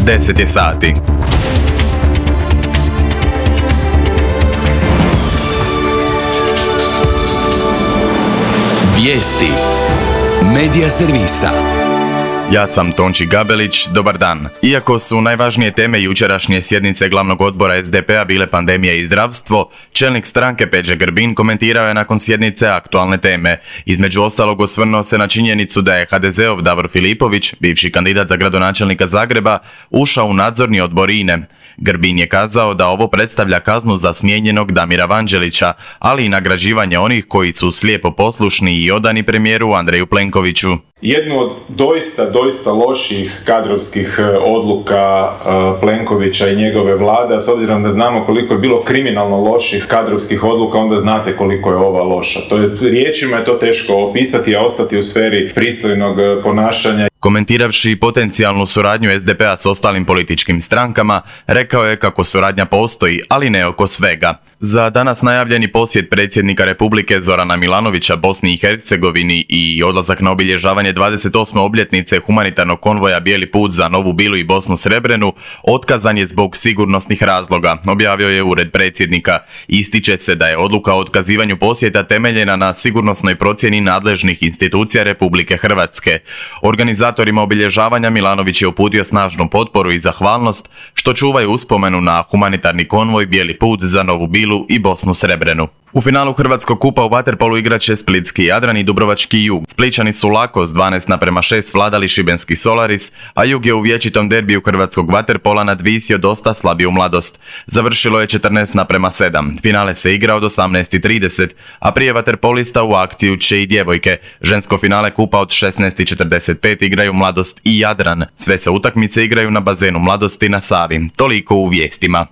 10 je sati. Vijesti Medija servisa. Ja sam Tonči Gabelić, dobar dan. Iako su najvažnije teme jučerašnje sjednice glavnog odbora SDP-a bile pandemija i zdravstvo, čelnik stranke Peđa Grbin komentirao je nakon sjednice aktualne teme. Između ostalog osvrnuo se na činjenicu da je HDZ-ov Davor Filipović, bivši kandidat za gradonačelnika Zagreba, ušao u nadzorni odbor INA-e. Grbin je kazao da ovo predstavlja kaznu za smijenjenog Damira Vanđelića, ali i nagrađivanje onih koji su slijepo poslušni i odani premijeru Andreju Plenkoviću. Jednu od doista loših kadrovskih odluka Plenkovića i njegove vlade, a s obzirom da znamo koliko je bilo kriminalno loših kadrovskih odluka, onda znate koliko je ova loša. Riječima je to teško opisati, a ostati u sferi pristojnog ponašanja. Komentiravši potencijalnu suradnju SDP-a s ostalim političkim strankama, rekao je kako suradnja postoji, ali ne oko svega. Za danas najavljeni posjet predsjednika Republike Zorana Milanovića Bosni i Hercegovini i odlazak na obilježavanje 28. obljetnice humanitarnog konvoja Bijeli put za Novu Bilu i Bosnu Srebrenu otkazan je zbog sigurnosnih razloga, objavio je ured predsjednika. Ističe se da je odluka o otkazivanju posjeta temeljena na sigurnosnoj procjeni nadležnih institucija Republike Hrvatske. Organizatorima obilježavanja Milanović je uputio snažnu potporu i zahvalnost što čuvaju uspomenu na humanitarni konvoj Bijeli put za Novu Bilu i Bosnu Srebrenu. U finalu Hrvatskog kupa u vaterpolu igraće Splitski Jadran i Dubrovački Jug. Splićani su lako s 12:6 vladali šibenski Solaris, a Jug je u vječitom derbiju hrvatskog vaterpola nadvisio dosta slabiju Mladost. Završilo je 14:7. Finale se igra od 18:30, a prije vaterpolista u akciju će i djevojke. Žensko finale kupa od 16:45 igraju Mladost i Jadran. Sve se utakmice igraju na bazenu Mladosti na Savi. Toliko u vijestima.